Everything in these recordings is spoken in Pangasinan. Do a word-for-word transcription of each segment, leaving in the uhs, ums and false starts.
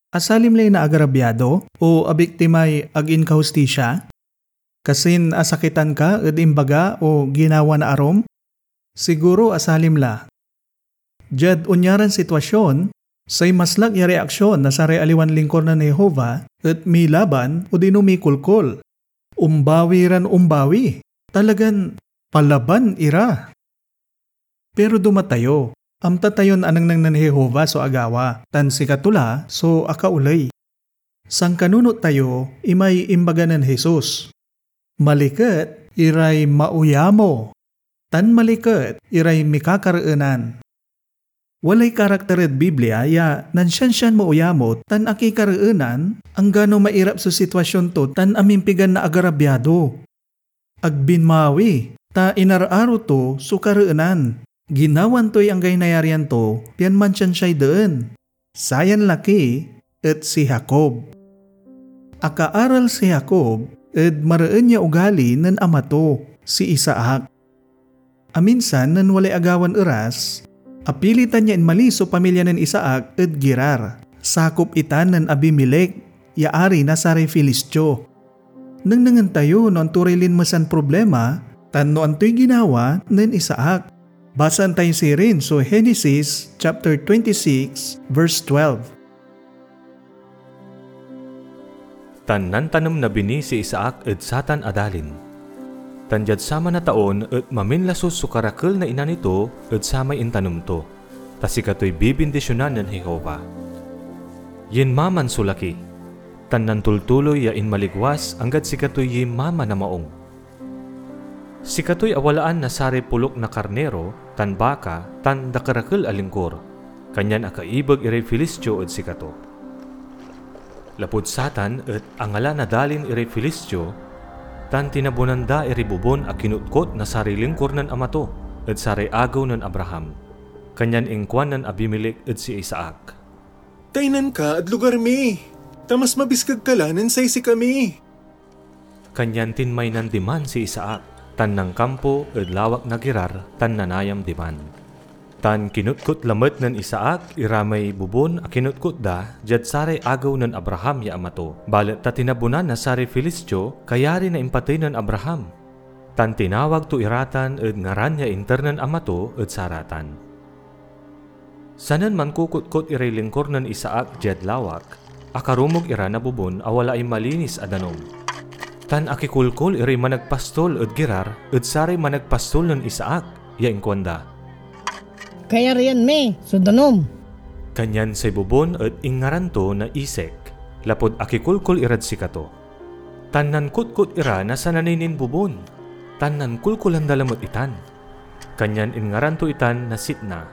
Asalim lay naagarabyado o abiktimay ag inkahustisia? Kasin asakitan ka ed imbaga o ginawa na arum? Siguro asalim la. Diad onyaran sitwasion, say maslak ya reaksion na saray aliwan lingkor nen Jehovah et milaban odino mikolkol. Ombawi ran ombawi. Talagan palaban ira. Pero duma tayo, amta tayon anengneng nen Jehovah so agawa, tan sikato la so akaoley. Sankanunot tayo imay imbaga nen Jesus, "Maliket iray mauyamo, tan maliket iray mikakareenan." Walay karakter ed Biblia ya nansiansian mauyamo tan akikareenan, anggano mairap so sitwasion to tan amimpigan na agarabyado. Ag binmawi, ta inararo to so kareenan. Ginawan toy anggay nayarian to, pian mansiansiay deen. Sayan laki et si Jacob. Akaaral si Jacob ed mareen ya ugali nen ama to, si Isaac. Aminsan nen walay agawan eras, apilitan ya inmalis so pamilya nen Isaac ed Gerar, sakop itan nen Abimelec ya ari na saray Filistio. Nengnengen tayo no anto ray linmesan problema tan no antoy ginawa nen Isaac. Basaen tayo sirin so Genesis chapter twenty-six, verse twelve. Tan nantanem na bini si Isaac ed satan a dalin. Tan diad saman a taon et maminlasus so karakel na inani to ed samay intanem to, ta sikatoy bibindisionan nen Jehovah. Yinmaman so laki, tan nantultuloy ya inmaligwas anggad sikatoy yimama na maong. Sikatoy awalaan na saray polok na karniro tan baka tan dakerakel a lingkor, kanyan akaibeg iray Filistio ed sikato. Lapud satan et angala na dalin iray Filistio, tan tinabunan da iray bobon a kinutkot na saray lingkor nen ama to ed saray agew nen Abraham. Kanyan inkuan nen Abimelec ed si Isaac, "Taynan ka ed lugar mi, ta mas mabiskeg ka la nen say sikami." Kanyan tinmaynan diman si Isaac, tan nankampo ed lawak na Gerar tan nanayam diman. Tan kinutkot lamet nen Isaac ira may bobon a kinutkot da diad saray agew nen Abraham ya ama to, balet ta tinabunan na saray Filistio, kayari na impatey nen Abraham. Tan tinawag to ira tan ed ngaran ya inter nen ama to ed saratan. Sanen mankukutkot iray lingkor nen Isaac diad lawak, akarumog ira na bobon a walaay malinis a danum. Tan akikolkol iray managpastol ed Gerar ed saray managpastol nen Isaac, ya inkuanda, "Kayarian mi so danum." Kanyan say bobon et inngaran to na Esek, lapud akikolkol irad sikato. Tan nankutkot ira na sananey nin bobon, tan nankolkolan da lamet itan. Kanyan inngaran to itan na Sitna.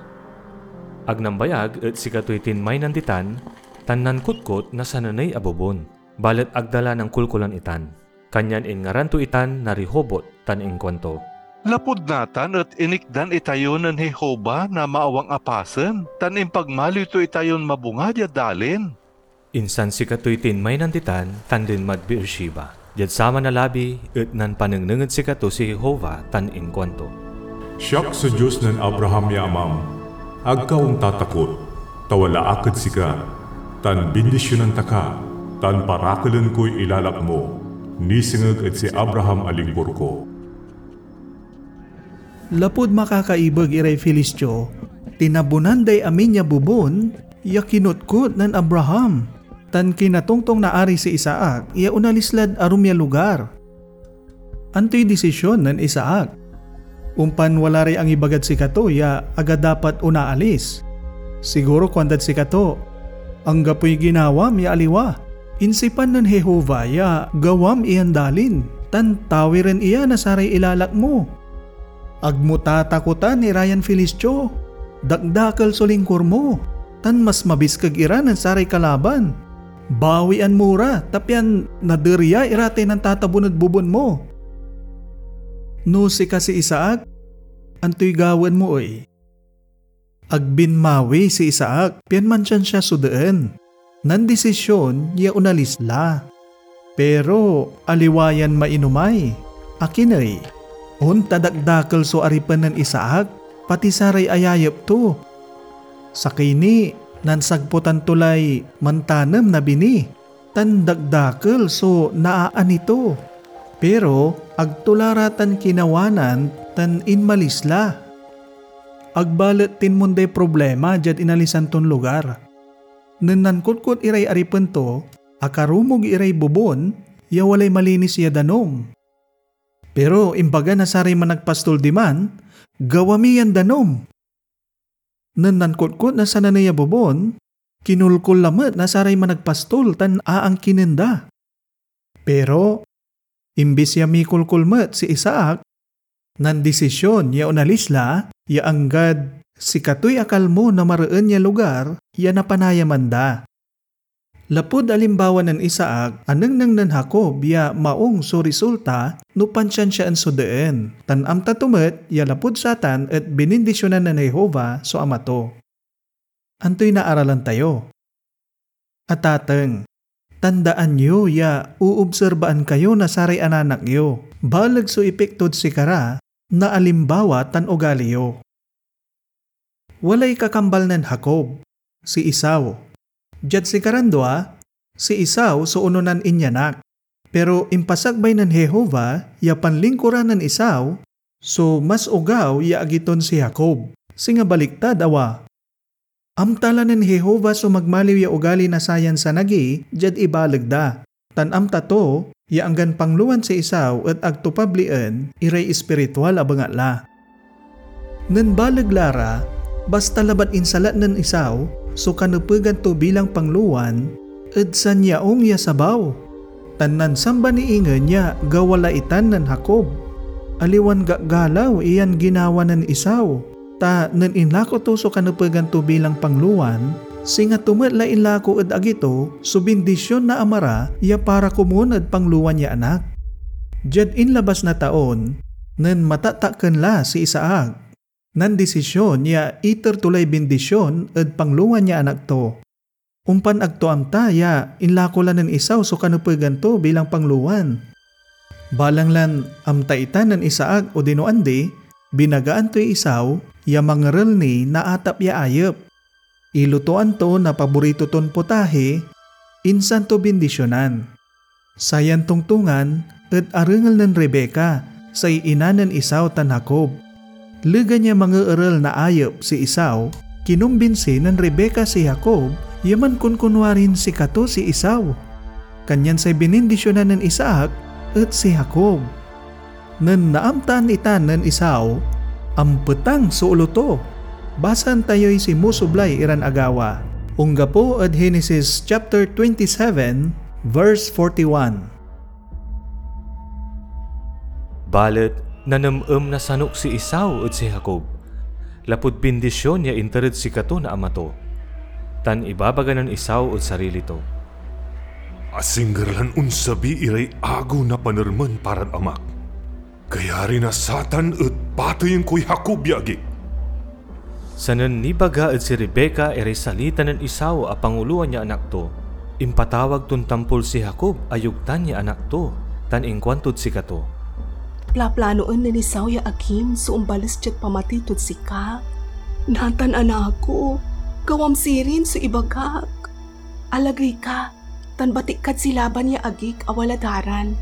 Ag nambayag et sikatoy tinmaynan ditan, tan nankutkot na sananey a bobon, balet ag da la nankolkolan itan. Kanyan inngaran to itan na Rehobot, tan inkuanto, "Lapud natan et inikdan itayo nen Jehovah na maawang a pasen, tan impagmaliw to itayon mabunga diad dalin." Insan sikatoy tinmaynan ditan tan linmad Beersheba. Diad saman a labi et nanpanengneng ed sikato si Jehovah tan inkuanto, "Siak so Dios nen Abraham ya amam. Ag ka ontatakot, ta wala ak ed sika, tan bindisionan ta ka, tan parakelen koy ilalak mo, nisengeg ed si Abraham a lingkor ko." Lapud makakaibeg iray Filistio, tinabunan day amin ya bobon ya kinutkot nen Abraham, tan kinatongtong na Ari si Isaac ya onalis lad arum ya lugar. Antoy desisyon nen Isaac? Ompan wala ray angibagad sikato ya aga dapat onaalis. Siguro kuandad sikato, "Anggapoy ginawam ya aliwa. Insipan nen Jehovah ya gawam iyan dalin, tan tawiren iya na saray ilalak mo. Ag mo tatakotan ira yan Filistio. Dakdakel so lingkor mo, tan mas mabiskeg ira nen saray kalaban. Bawian mo ra, ta pian naderya ira tay nantatabon ed bobon mo." No sika si Isaac, antoy gawaen mo ey? Ag binmawi si Isaac pian mansiansia so deen. Nandesisyon ya onalis la. Pero aliwa yan mainomay. Akin ey? Onta dakdakel so aripen nen Isaac, pati saray ayayep to. Sakey ni, Nansagputan to lay mantanem na bini, tan dakdakel so naani to. Pero ag to la ra tan kinawanan tan inmalis la. Ag balet tinmonday problema diad inalisan ton lugar. Nen nankutkot iray aripen to, akarumog iray bobon ya walay malinis ya danum. Pero imbaga na saray managpastol diman, "Gawa mi yan danum." Nen nankutkot na sananey a bobon, kinulkol lamet na saray managpastol tan aangkinen da. Pero imbis ya mikolkol met si Isaac, nandesisyon ya onalis la ya anggad sikatoy akalmo na mareen ya lugar ya napanayaman da. Lapud alimbawa nen Isaac, anengneng nen Jacob ya maong so resulta no pansiansiaen so deen, tan amta to met ya lapud satan et binindisyonan nen Jehovah so ama to. Antoy naaralan tayo? Atateng, tandaan yo ya oobserbaan kayo na saray ananak yo. Baleg so ipiktod sikara na alimbawa tan ugali yo. Walay kakambal nen Jacob, si Esau. Diad sikaran dua, si Esau so ononan inyanak. Pero impasakbay nen Jehovah ya panlingkuran nen Esau so mas ogaw ya agi ton si Jacob, singa baliktad, awa. Amta la nen Jehovah so magmaliw ya ugali na sayan sanagi diad ibaleg da, tan amta to ya anggan panglowan si Esau et ag to pablien iray espiritual a bengatla. Nen baleg la ra, basta labat insalat nen Esau so kanepegan to bilang panglowan ed sanyaong ya sabaw, tan nansamba ni ingen ya gawa la itan nen Jacob. Aliwan gagalaw iyan ginawa nen Esau, ta nen inlako to so kanepegan to bilang panglowan, singa to met la inlako ed agi to so bindision na ama ra ya para komun ed panglowan ya anak. Diad inlabas na taon, nen matatakken la si Isaac, nandisisyon ya iter to lay bindision ed panglowan ya anak to. Ompan ag to amta ya inlako la nen Esau so kanepegan to bilang panglowan. Balang lan amta itan nen Isaac odino andi, binagaan toy Esau ya mangerel ni na atap ya ayep. Ilutoan to na paborito ton potahe, insan to bindisyonan. Sayan tongtongan et arengel nen Rebecca, say ina nen Esau tan Jacob. Legan ya mangeerel na ayep si Esau, kinumbinsi nen Rebecca si Jacob ya mankunkunwarin sikato si Esau. Kanyan say binindisyonan nen Isaac et si Jacob. Nen naamtaan itan nen Esau, ampetang so olo to. Basaen tayoy sinmusublay iran agawa. Onggapo ed Genesis chapter twenty-seven, verse forty-one. Balet nanemnem na sanok si Esau ed si Jacob, lapud bindision ya inter ed sikato na ama to. Tan ibabaga nen Esau ed sarili to, "Asingger lan onsabi iray agew na panermen parad amak. Kayari na satan et pateyen koy Jacob ya agik." Sanen nibaga ed si Rebecca iray salita nen Esau a pangulowan ya anak to, impatawag ton tampol si Jacob a yogtan ya anak to, tan inkuantod sikato, "Plaplanoen nen Esau ya agim so ombales diad pamatey tod sika. Natan, anak ko, gawam sirin so ibagak. Alagey ka, tan batik kad si Laban ya agik a walad Haran.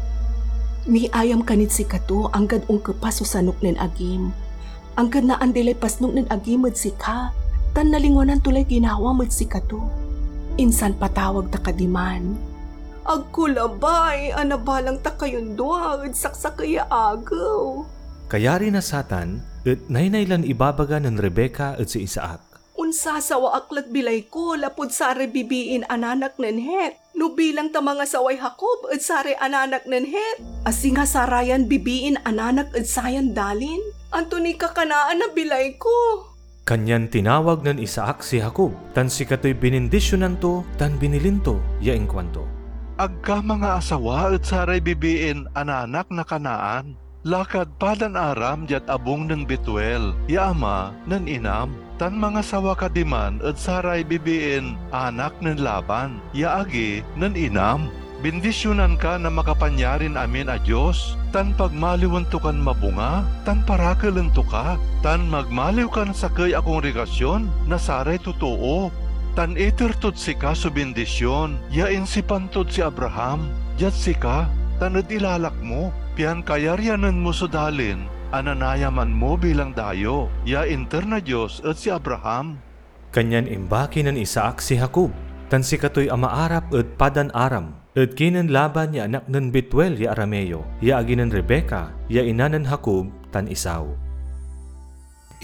Miayam ka nid sikato anggad onkepas so sanok nen agim, anggad naandi lay pasnok nen agim ed sika, tan nalingwanan to lay ginawam ed sikato. Insan patawag ta ka diman." "Agko labay a nabalang ta kayon dua ed saksakey ya agew." Kayari na satan et naynay lan ibabaga nen Rebecca ed si Isaac, "Onsasawa ak lad bilay ko lapud saray bibiin ananak nen Het, no bilang ta mangasaway Jacob ed saray ananak nen Het, a singa sarayan bibiin ananak ed sayan dalin. Anto niy kakanaan na bilay ko?" Kanyan tinawag nen Isaac si Jacob, tan sikatoy binindisyonan to tan binilin to, ya inkuanto, "Ag ka mangaasawa ed saray bibiin ananak na Canaan. Lakad Padan-aram diad abung nen Betuel ya ama nen inam, tan mangasawa ka diman ed saray bibiin anak nen Laban ya agi nen inam. Bindisyonan ka na Makapanyarin-amin a Dios, tan pagmaliwen to kan mabunga, tan parakelen to ka, tan magmaliw kan sakey a kongregasyon na saray totoo." tan iter tod sika so bindision ya insipan tod si Abraham diad sika tan ed ilalak mo, pian kayaryanen mo so dalin a nanayaman mo bilang dayo ya inter na Dios ed si Abraham. Kanyan imbaki nen Isaac si Jacob, tan sikatoy amaarap ed Padan-aram, ed kinen Laban ya anak nen Betuel ya Arameo, ya agi nen Rebeca, ya ina nen Jacob tan Esau.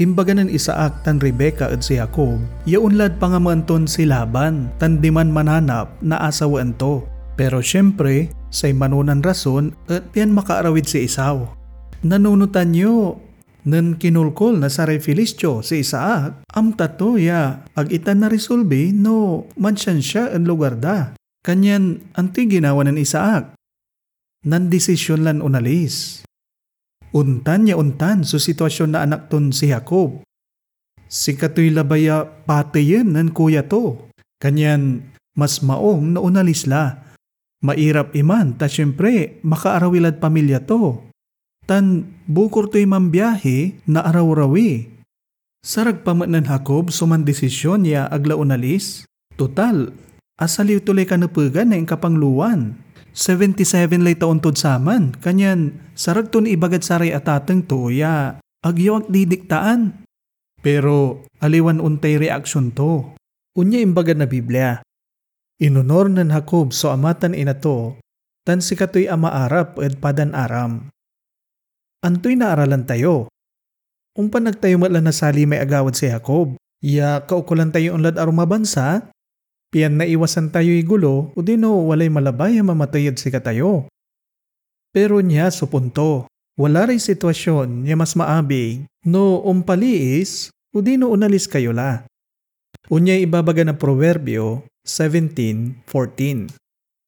Imbaga nen Isaac tan Rebeca ed si Jacob ya onlad pangamaen ton si Laban tan diman mananap na asawaen to. Pero siempre, say manonan rason et pian makaarawid si Esau. Nanunotan yo, nen kinolkol na saray Filistio si Isaac, amta to ya ag ita narisolbi no mansiansia ed lugar da. Kanyan antoy ginawa nen Isaac? Nandesisyon lan onalis. Ontan ya ontan so sitwasyon na anak ton si Jacob. Sikatoy labay a pateyen nen kuya to, kanyan mas maong no onalis la. Mairap iman ta siempre makaarawi lad pamilya to, tan bukor toy mambiahi na arawrawi. Sarag pa met nen Jacob so mandesisyon ya ag la onalis. Total, asaliw to lay kanepegan na inkapanglowan. Seventy-seven lay taon tod saman, kanyan sarag ton ibagad saray atateng to ya, "Ag yo ak didiktaan." Pero aliwan ontay reaksion to. Onya imbaga na Biblia, "Inonor nen Jacob so ama tan ina to, tan sikatoy amaarap ed Padan-aram." Antoy naaralan tayo? Ompan ag tayo met la nasalimay agawad si Jacob, ya kaukolan tayo onlad arum a bansa, pian naiwasan tayoy gulo, odino walay malabay a mamatey ed sikatayo. Pero nia so punto, wala ray sitwasyon ya mas maabig no ompaliis odino onalis kayo la. Onyay ibabaga na Proverbio seventeen fourteen,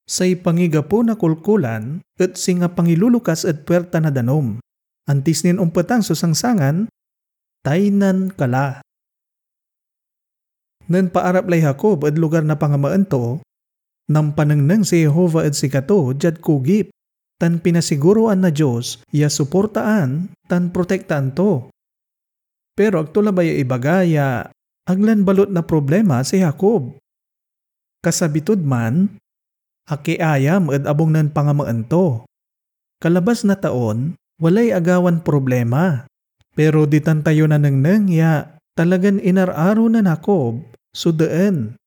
"Say pangigapo na kolkolan et singa pangilulukas ed puerta na danum. Antis nin ompetang so sangsangan, taynan ka la." Nen paarap lay Jacob ed lugar na pangamaen to, nampanengneng si Jehovah ed sikato diad kugip, tan pinasiguroan na Dios ya suportaan tan protektaan to. Pero ag to labay ya ibaga ya ag lan balot na problema si Jacob. Kasabi tod man, akiayam ed abung nen pangamaen to. Kalabas na taon, walay agawan problema. Pero ditan tayo nanengneng ya talagan inar-aro nen Jacob so deen.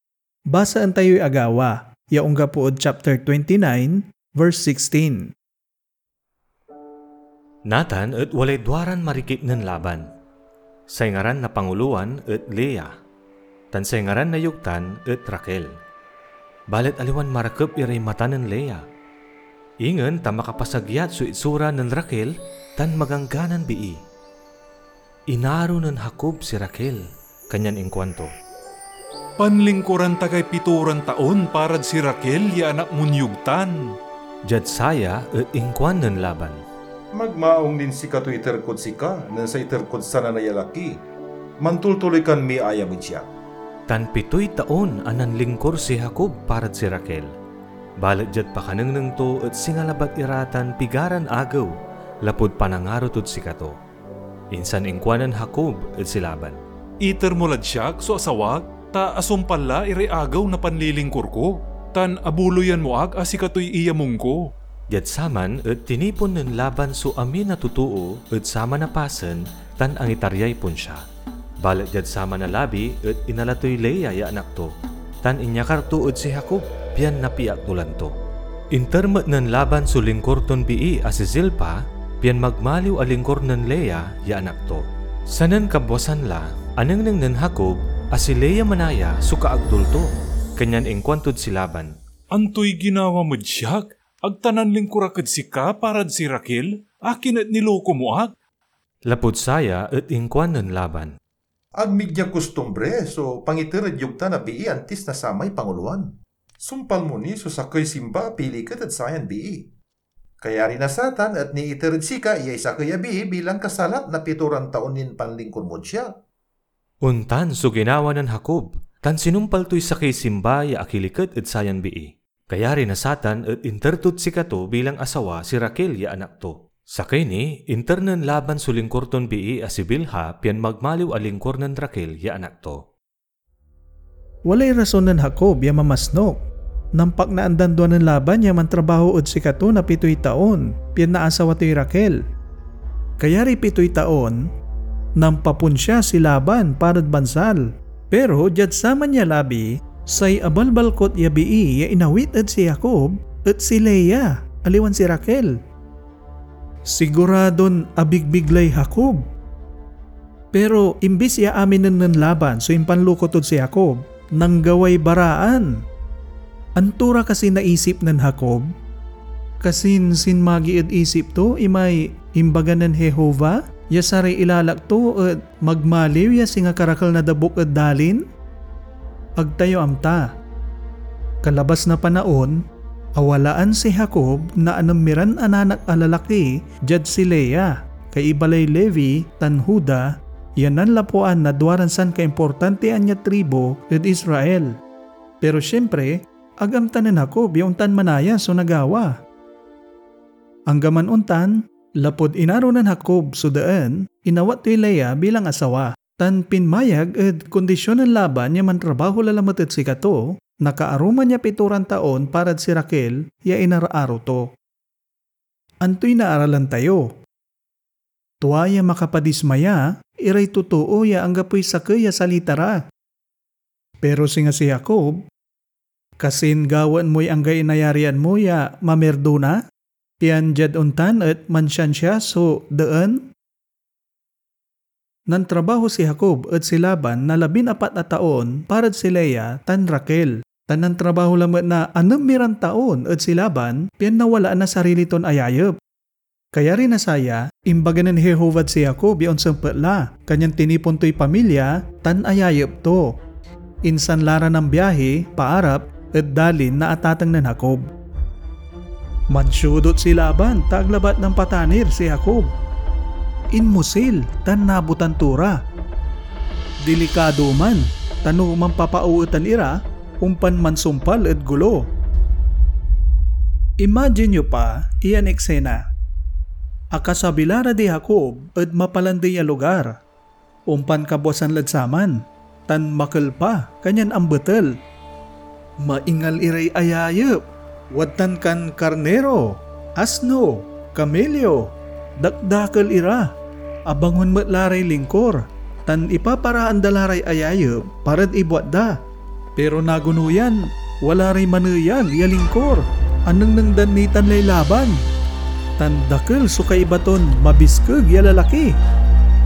Basaen tayoy agawa ya onggapo ed chapter twenty-nine, verse sixteen. Natan et walay duaran marikit nen Laban. Say ngaran na pangulowan et Lea, tan say ngaran na yogtan et Raquel. Balet aliwan marakep iray mata nen Lea. Ingen ta makapasagyat so itsura nen Raquel tan magangganan bii. Inaro nen Jacob si Raquel, kanyan inkuanto, "Panlingkuran ta kay pitoran taon parad si Raquel ya anak mon yogtan." Diad saya et inkuan nen Laban, "Magmaong nin sikato iter kod sika nen say iter kod sananey a laki. Mantultuloy kan miayam ed siak." Tan pitoy taon a nanlingkur si Jacob parad si Raquel. Balet diad pakanengneng to et singa labat ira tan pigaran agew lapud panangaro tod sikato. Insan inkuanen Jacob ed si Laban, "Iter mo lad siak so asawak, ta asumpal la iray agew na panlilingkur ko, tan abuloyan mo ak a sikatoy iyamong ko." Diad saman et tinipon nen Laban so amin a totoo ed saman a pasen tan angitaryay ponsia. Balet diad saman a labi et inala toy Lea ya anak to, tan inyakar to ed si Jacob, pian napiakdulan to. Inter met nen Laban so lingkur ton bii a si Zilpa, pian magmaliw a lingkur nen Lea ya anak to. Sanen kabwasan la, anengneng nen Jacob a si Lea manaya so kaagdul to, kanyan inkuantod si Laban, "Antoy ginawam ed siak? Ag ta nanlingkur ak ed sika parad si Raquel? Akin et niloko mo ak?" Lapud saya et inkuan nen Laban, "Ag mi dia kostumbre so pangiter ed yogtan a bii antis na samay pangulowan. Sumpal mo ni so sakey simba a piliket ed sayan bii. Kayari na satan et niiter ed sika yay sakey a bii bilang kasalak na pitoran taon nin panlingkur mod siak." Ontan so ginawa nen Jacob, tan sinumpal toy sakey simba ya akiliket ed sayan bii. Kayari na satan et inter tod sikato bilang asawa si Raquel ya anak to. Sakey ni, inter nen Laban so lingkur ton bii a si Bilha pian magmaliw a lingkur nen Raquel ya anak to. Walay rason nen Jacob ya mamasnok. Nampaknaan dan dua nen Laban ya mantrabaho ed sikato na pitoy taon, pian naasawa toy Raquel. Kayariy pitoy taon, nampaponsia si Laban parad bansal. Pero diad saman ya labi, say abalbalkut ya bii ya inawit ed si Jacob et si Lea, aliwan si Raquel. Siguradon abigbig lay Jacob. Pero imbis ya aminen nen Laban so impanloko tod si Jacob, nanggaway baraan. Anto ra kasi naisip nen Jacob? Kasin sinmagi ed isip to imay imbaga nen Jehovah ya saray ilalak to et magmaliw ya singa karakel na dabuk ed dalin? Ag tayo amta. Kalabas na panaon, awalaan si Jacob na anem iran ananak a lalaki diad si Lea, kaiba lay Levi tan Juda, ya nanlapuan na duaran sankaimportantian ya tribu ed Israel. Pero siempre, ag amta nen Jacob ya ontan manaya so nagawa. Anggaman ontan, lapud inaro nen Jacob so daan, inawat toy Lea bilang asawa, tan pinmayag ed kondision nen Laban ya mantrabaho la lamet ed sikato, nakaaruman ya pitoran taon parad si Raquel ya inaraaro to. Antoy naaralan tayo? Tua ya makapadismaya iray totoo ya anggapoy sakey a salita ra. Pero singa si Jacob, kasin gawaen moy anggay nayarian mo ya mamirdona, pian diad ontan et mansiansia so daan? Nantrabaho si Jacob ed si Laban na labin-apat a taon parad si Lea tan Raquel, tan nantrabaho lamet na anem iran taon ed si Laban, pian nawalaan na sarili ton ayayep. Kayari na saya, imbaga nen Jehovah ed si Jacob ya onsempet la, kanyan tinipon toy pamilya tan ayayep to. Insan la ra nambiahi paarap ed dalin na atateng nen Jacob. Mansiudot si Laban ta ag labat nampatanir si Jacob. Inmusil tan nabotan to ra. Dilikado man, ta no mampapaoetan ira, ompan mansumpal ed golo. Imagine yo pa iyan eksena. Akasabi la ra di Jacob ed mapalandey a lugar. Ompan kabwasan lad saman, tan makel pa, kanyan ambetel. Maingal iray ayayep, wadtan kan karniro, asno, kamelyo, dakdakel ira. Abangon met la ray lingkor, tan ipaparaan da la ray ayayep parad ibuat da. Pero nagono yan, wala ray maneyag ya lingkor. Anengneng dan nitan lay Laban, tan dakel so kaiba ton mabiskeg ya lalaki.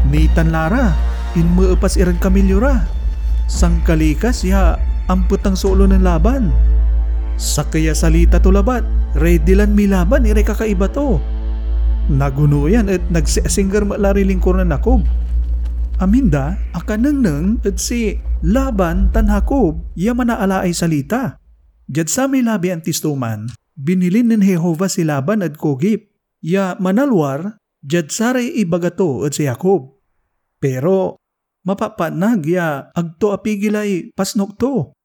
Nitan la ra, inmeepas irad kamelyo ra. Sankalikas ya ampetang so olo nen Laban. Sakey a salita to labat, ready lan milaban iray kakaiba to. Nagono yan et nagsiasingger met la ray lingkor nen Jacob. Amin da akanengneng ed si Laban tan Jacob ya manaalaay salita. Diad samay labi antis to man, binilin nen Jehovah si Laban ed kogip ya manalwar diad saray ibaga to ed si Jacob. Pero mapapatnag ya ag to apigilay pasnok to.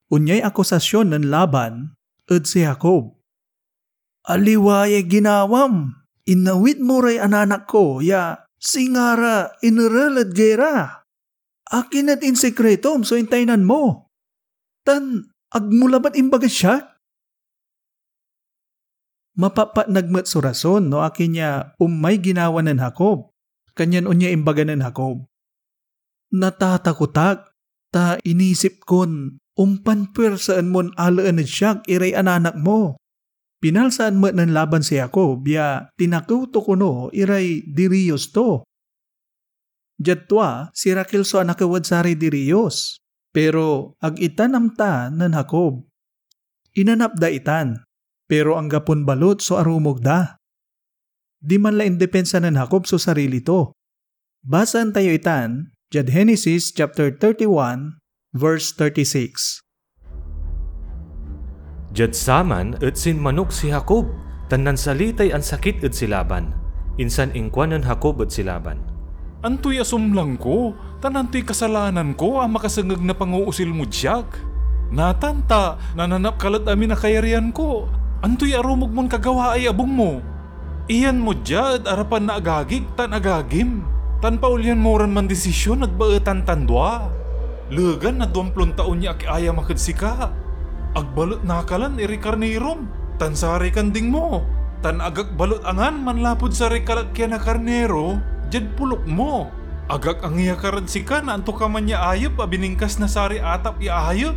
Onyay akusasyon nen Laban ed si Jacob, "Aliwa yay ginawam! Inawit mo ray ananak ko ya singa ra inerel ed gera. Akin et insikritom so intaynan mo, tan ag mo labat imbagad siak?" Mapapatnag met so rason no akin ya omay ginawa nen Jacob, kanyan onya imbaga nen Jacob, "Natatakot ak, ta inisip kon ompan puersaen mon alaen ed siak iray ananak mo." Pinalsaan met nen Laban si Jacob ya tinakew to kono iray diriyos to. Diad tua, si Raquel so anakew ed saray diriyos, pero ag itan amta nen Jacob. Inanap da itan, pero anggapon balut so arumog da. Diman la indepensa nen Jacob so sarili to. Basaen tayo itan diad Genesis chapter thirty-one, verse thirty-six. Diad saman et sinmanok si Jacob tan nansalitay ansakit ed si Laban. Insan inkuanen Jacob ed si Laban, "Antoy asumlang ko, tan antoy kasalanan ko a makasengeg na pangoosil mod siak? Natan ta nananap ka lad amin a kayaryan ko. Antoy arumog mon kagawaay abung mo? Iyan mo dia ed arapan na agagik tan agagim, tan paolyan mo ran mandisisyon ed baetan tan dua." Legan na duamplon taon ya akiayam ak ed sika. Ag balet nakalan iray karnirom, tan saray kanding mo, tan ag ak balet angan manlapud saray kalakyan a karniro diad pulok mo. Ag ak angiakar ed sika na antokaman ya ayep a biningkas na saray atap ya ayep.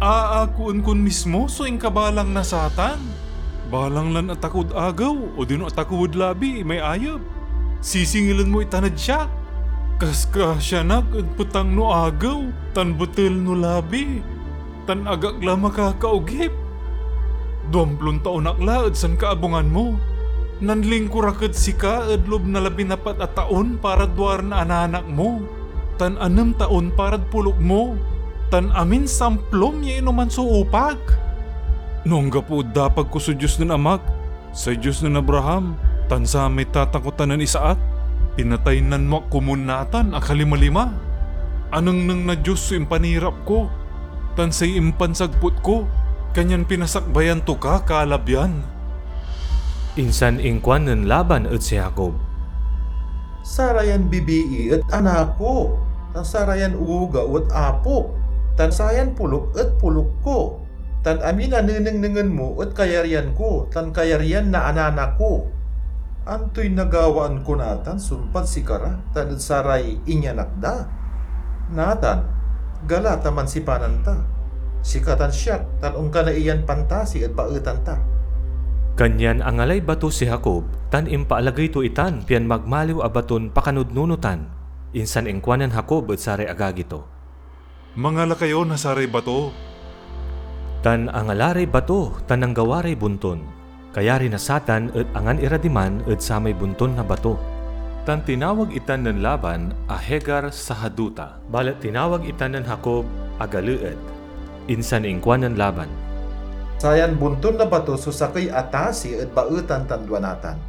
Aakoen kon mismo so inkabalang na satan. Balang lan atakod agew odino atakod labi may ayep. Sisingilen mo itan ed siak. Kaskrasyan ak ed petang no agew tan betel no labi, tan ag ak la makakaogip. Duamplon taon ak la ed sankaabungan mo. Nanlingkur ak ed sika ed loob na labinapat a taon parad duaran ananak mo, tan anem taon parad pulok mo, tan amin samplom ya inoman so upag. No anggapo ed dapag ko so Dios nen amak, say Dios nen Abraham, tan samay tatakotan nen Isaac, pinataynan mo ak komun natan a kalimalima. Anengneng na Dios so impanirap ko, tan say impansagput ko, kanyan pinasakbayan to ka kalabian. Insan inkuan nen Laban ed si Jacob, "Sarayan bibii et anak ko, tan sarayan ugaw et apok, tan sayan pulok et pulok ko, tan amin a nenengnengen mo et kayaryan ko tan kayaryan na ananak ko. Antoy nagawaan ko natan sumpad sikara tan ed saray inyanak da? Natan, gala ta mansipanan ta, sika tan siak, tan onkanay iyan pantasi ed baetan ta." Kanyan angalay bato si Jacob, tan impaalagey to itan pian magmaliw a baton pakanudnunotan. Insan inkuanen Jacob ed saray agagi to, "Mangala kayo na saray bato." Tan angala ray bato, tan nanggawa ray bonton. Kayari na satan et angan ira diman ed samay bonton na bato. Tan tinawag itan nen Laban a Jegar-Sahadutha, balet tinawag itan nen Jacob a Galeed. Insan inkuanen Laban, "Sayan bonton na bato so sakey a tasi ed baetan tan dua natan."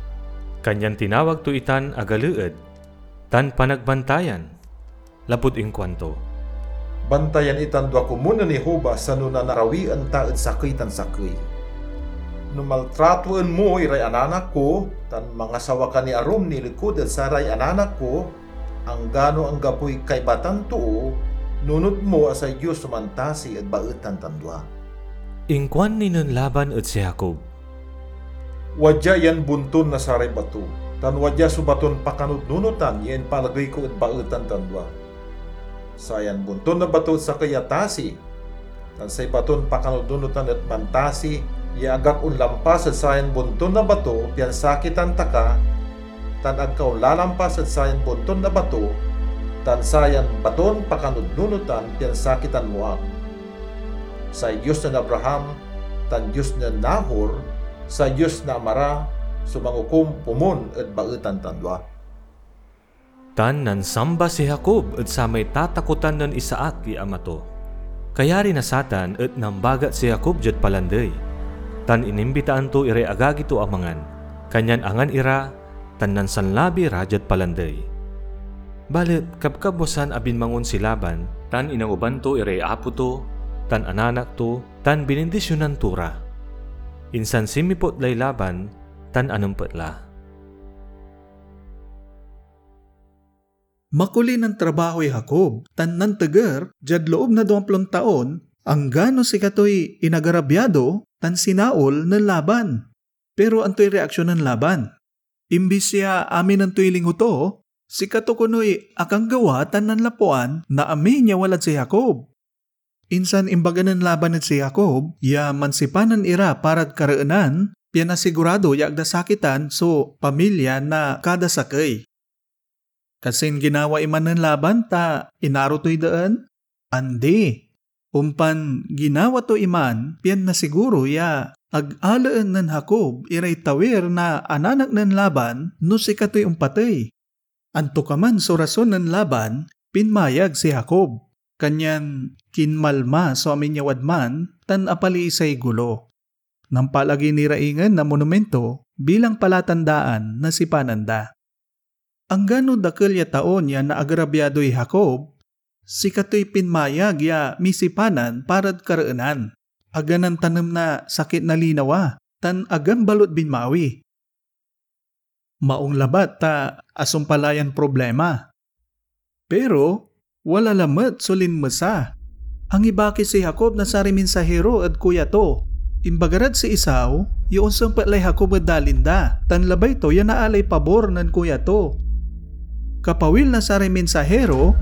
Kanyan tinawag to itan a Galeed, tan Panagbantayan, lapud inkuanto, "Bantayan itan dua komun nen Jehovah sano nanarawian ta ed sakey tan sakey. No maltratoen mo iray ananak ko, tan mangasawa ka ni arum nilekod ed saray ananak ko, anggano anggapoy kaiba tan too, nunot mo a say Dios so mantasi ed baetan tan dua." Inkuan ni nen Laban ed si Jacob, "Wadia yan bonton na saray bato, tan wadia so baton pakanudnunotan ya impaalagey ko ed baetan tan dua. Sayan bonton na bato et sakey a tasi, tan say baton pakanudnunotan et mantasi ya ag ak onlampas ed sayan bonton na bato pian sakitan ta ka, tan ag ka onlalampas ed sayan bonton na bato, tan sayan baton pakanudnunotan pian sakitan mo ak. Say Dios nen Abraham tan Dios nen Nahor, say Dios na ama ra, so mangukom komun ed baetan tan dua." Tan nansamba si Jacob ed samay tatakotan nen Isaac ya ama to. Kayari na satan et nambagat si Jacob diad palandey, tan inimbitaan to iray agagi to a mangan. Kanyan angan ira, tan nansanlabi ra diad palandey. Balet kabkabwasan a binmangon si Laban, tan inangoban to iray apo to, tan ananak to, tan binindisionan to ra. Insan sinmiput lay Laban, tan anempet la. Makuli nantrabahoy Jacob tan nanteger diad loob na duamplon taon, anggano sikatoy inagarabiado tan sinaol nen Laban. Pero antoy reaksion nen Laban? Imbis ya aminen toy lingo to, sikato konoy akanggawa tan nanlapuan na amin ya walad si Jacob. Insan imbaga nen Laban ed si Jacob ya mansipanan ira parad kareenan, pian asigurado ya ag da sakitan so pamilya na kada sakey. Kasin ginawa iman nen Laban ta inaro toy deen? Andi. Ompan ginawa to iman pian nasiguro ya ag alaen nen Jacob iray tawir na ananak nen Laban no sikatoy ompatey. Antokaman so rason nen Laban, pinmayag si Jacob, kanyan kinmalma so amin ya wadman tan apaliisay gulo. Nampaalagey ni ra ingen na monumento bilang palatandaan na sipanan da. Anggano dakel ya taon ya naagrabiadoy Jacob, sikatoy pinmayag ya misipanan parad kareenan. Aga nantanem na sakit na linawa, tan agan balut binmawi. Maong labat ta asumpal la yan problema. Pero, Wala lamet so linmesa. Angibaki si Jacob na saray minsahiro ed kuya to. Imbaga rad si Esau ya onsempet lay Jacob ed dalin da, tan labay to ya naalay pabor nen kuya to. Kapawil na saray minsahiro,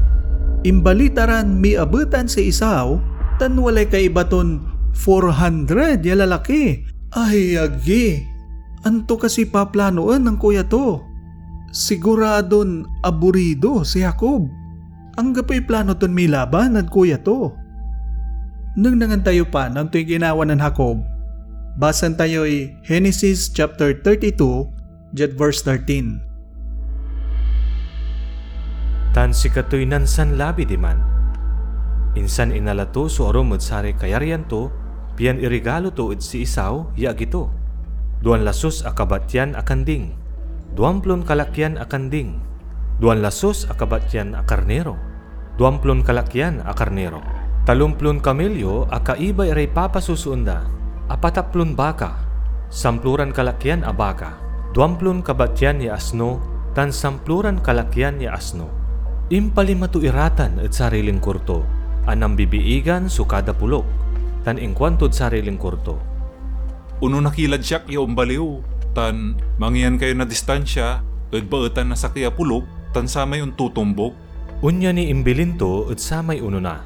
imbalita ran miabetan si Esau, tan walay kaiba ton four hundred ya lalaki. Ay, agi! Anto kasi paplanoen nen kuya to? Siguradon aburido si Jacob. Anggapoy plano ton milaban ed kuya to. Nengnengen tayo pa no antoy ginawa nen Jacob. Basaen tayoy Genesis chapter thirty-two, diad verse thirteen. Tan sikatoy nansanlabi diman. Insan inala to so arum ed saray kayaryan to, pian irigalo to ed si Esau ya agi to. Duan lasus a kabatyan a kanding, duamplon kalakyan a kanding, duan lasus a kabatyan a karniro, duamplon kalakyan a karniro, talomplon kamelyo a kaiba iray papasusoen da, apataplon baka, samploran kalakyan a baka, duamplon kabatyan ya asno, tan samploran kalakyan ya asno. Impalima to iratan ed saray lingkor to, a nambibiigan so kada polok, tan inkuantod saray lingkor to, "Onona ki lad siak ya ombaliw, tan mangiyan kayo na distansia ed baetan na sakey a polok tan samay ontotombok." Onya ni imbilin to ed samay onona,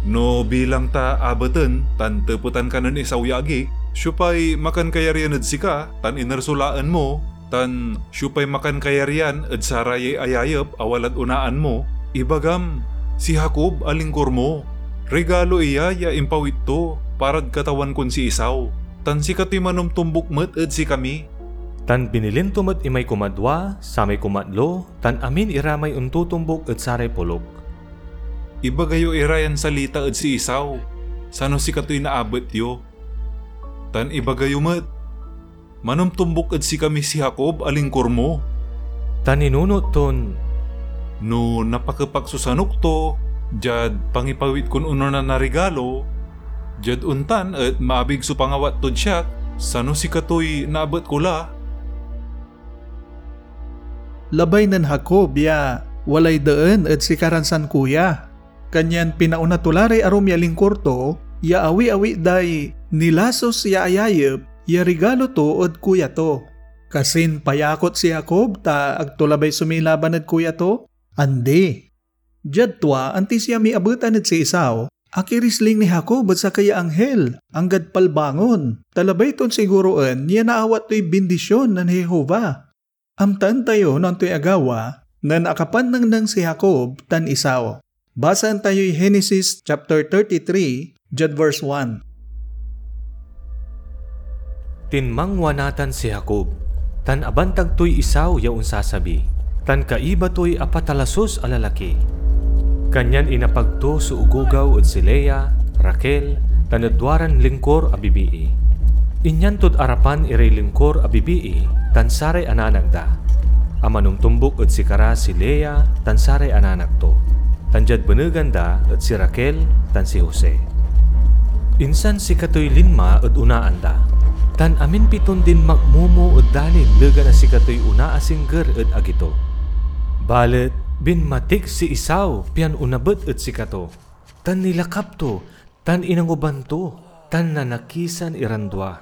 "No bilang ta abeten tan tepetan ka nen Esau ya agi, siopay makankayaryan ed sika tan iner so laen mo, tan siopay makankayaryan ed sarayay ayayep a walad onaan mo? Ibagam, si Jacob a lingkor mo. Rigalo iya ya impawit to parad katawan kon si Esau, tan sikatoy manomtombok met ed sikami." Tan binilin to met imay kumadwa, samay kumatlo, tan amin ira may ontotombok ed saray polok. "Ibaga yo ira yan salita ed si Esau, sano sikatoy naabet yo. Tan ibaga yo met, 'Manomtombok ed sikami si Jacob a lingkor mo.'" Tan ninunot ton, "No napakepak so sanok to diad pangipawit kon onona na rigalo, diad ontan et maabig so pangawat tod siak, sano sikatoy naabet ko la." Labay nen Jacob ya walay deen ed sikaran sankuya. Kanyan pinaona to la ray arum ya lingkor to ya awi-awi day nilasus ya ayayep ya rigalo to ed kuya to. Kasin payakot si Jacob ta ag to labay sumilaban ed kuya to? Andi. Diad tua, antis ya miabetan ed si Esau, akirisling ni Jacob ed sakey ya anghel, anggad palbangon, ta labay ton siguroen ya naawat toy bindision nen Jehovah. Amtaen tayo no antoy agawa nen akapannengneng si Jacob tan Esau. Basaen tayoy Genesis chapter thirty-three, diad verse one. Tinmangwa natan si Jacob, tan abantag toy Esau ya onsasabi, tan kaiba toy apatalasus a lalaki. Kanyan inapag to so ogogaw ed si Lea, Raquel, tan ed duaran lingkor a bibii. Inyan tod arapan iray lingkor a bibii tan saray ananak da, a manomtombok ed sikara si Lea tan saray ananak to, tan diad benegan da et si Raquel tan si Jose. Insan sikatoy linma ed onaan da, tan amin piton dinmakmomo ed dalin legan a sikatoy onaasingger ed agi to. Balet binmatik si Esau pian onabet ed sikato, tan nilakap to, tan inanguban to, tan nanakisan iran dua.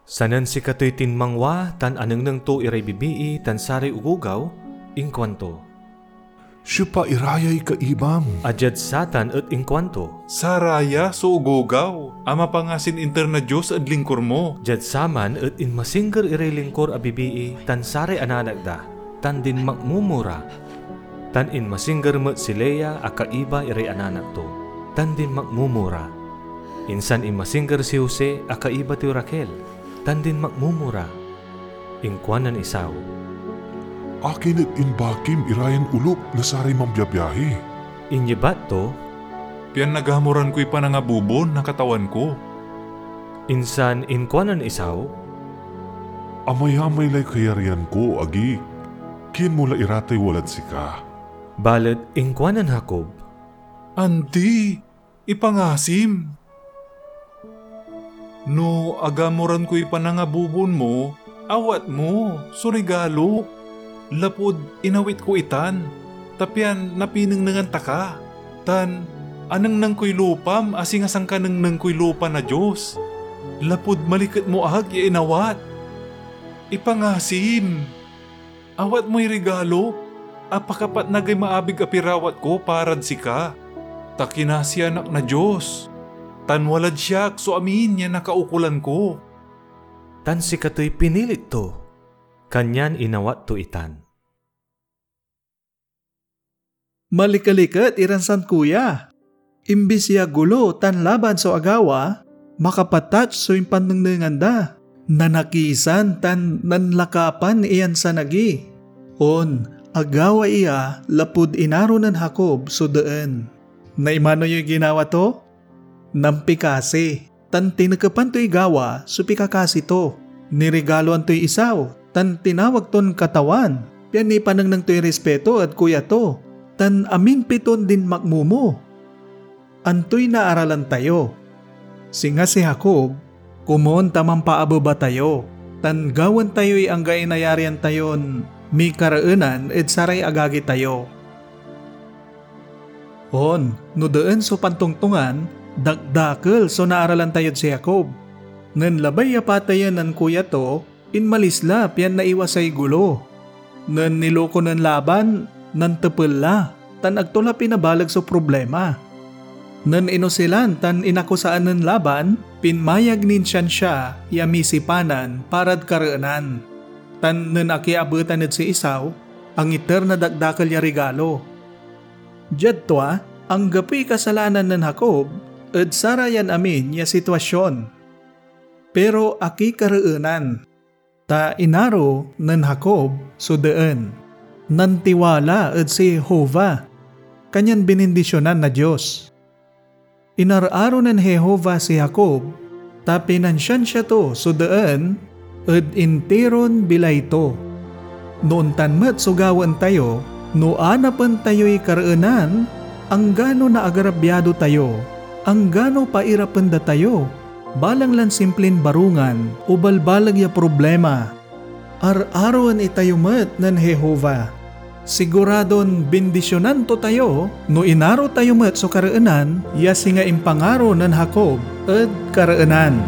Sanen sikatoy tinmangwa tan anengneng to iray bibii tan saray ogogaw, inkuanto, "Siopa irayay kaibam?" A diad satan et inkuanto, "Saraya so ogogaw a mapangasin inter na Dios ed lingkor mo." Diad saman et inmasingger iray lingkor a bibii tan saray ananak da, tan dinmakmomo ra. Tan inmasingger met si Lea a kaiba iray ananak to, tan dinmakmomo ra. Insan inmasingger si Jose a kaiba toy Raquel, tan dinmakmomo ra. Inkuan nen Esau, "Akin et imbakim irayan olop na saray mambiabiahi?" Inyebat to, "Pian nagamoran koy panangabubon na Katawan ko." Insan inkuan nen Esau, "Amayamay lay kayaryan ko, agi. Kien mo la iratay walad sika." Balet inkuan nen Jacob, "Andi, ipangasim. No agamoran koy panangabubon mo, awat mo so rigalo, lapud inawit ko itan, ta pian napinengnengan ta ka." tan anengneng koy lupam a singa sankanengneng koy lupa na Dios, lapud maliket mo ak ya inawat. Ipangasim! Awat moy regalo a pakapatnagay maabig a pirawat ko parad sika, ta kinasian ak na Dios, tan walad siak so amin ya nakaukolan ko. Tan sikatoy pinilit to, kanyan inawat to itan. Malikeliket iran sankuya. Imbis ya gulo tan laban so agawa, makapatatch so impannengnengan da. Nanakisan tan nanlakapan iyan sanagi. On, agawa iya lapud inaro nen Jacob so deen. Naimano yoy ginawa to? Nampikasi, tan tinekepan toy gawa so pikakasi to. Nirigaloan toy Esau, tan tinawag ton Katawan, pian nipanengneng toy rispeto ed kuya to, tan amin piton dinmakmomo. Antoy naaralan tayo? Singa si Jacob, komon ta mampaabeba tayo, tan gawaen tayoy anggaay nayarian tayon mikareenan ed saray agagi tayo. On, no deen so pantongtongan, dakdakel so naaralan tayod si Jacob. Nen labay ya pateyen nen kuya to, inmalis la pian naiwasay gulo. Nen niloko nen Laban, nantepel la, tan ag to la pinabaleg so problema. Nen inusilan tan inakusaan nen Laban, pinmayag nin siansia ya misipanan parad kareenan. Tan nen akiabetan ed si Esau, angiter na dakdakel ya rigalo. Diad tua, anggapoy kasalanan nen Jacob ed sarayan amin ya sitwasion, pero akikareenan, ta inaro nen Jacob so deen. Nantiwala ed si Jehovah, kanyan binindisyonan na Dios. Inararo nen Jehovah si Jacob, ta pinansiansia to so deen ed intiron bilay to. No ontan met so gawaen tayo, no anapen tayoy kareenan, anggano naagrabyado tayo, anggano pairapen da tayo, balang lan simplin barungan o balbaleg ya problema, ar-aroen itayo met nen Jehovah. Siguradon bindisyonan to tayo no inaro tayo met so kareenan ya singa impangaro nen Jacob ed kareenan.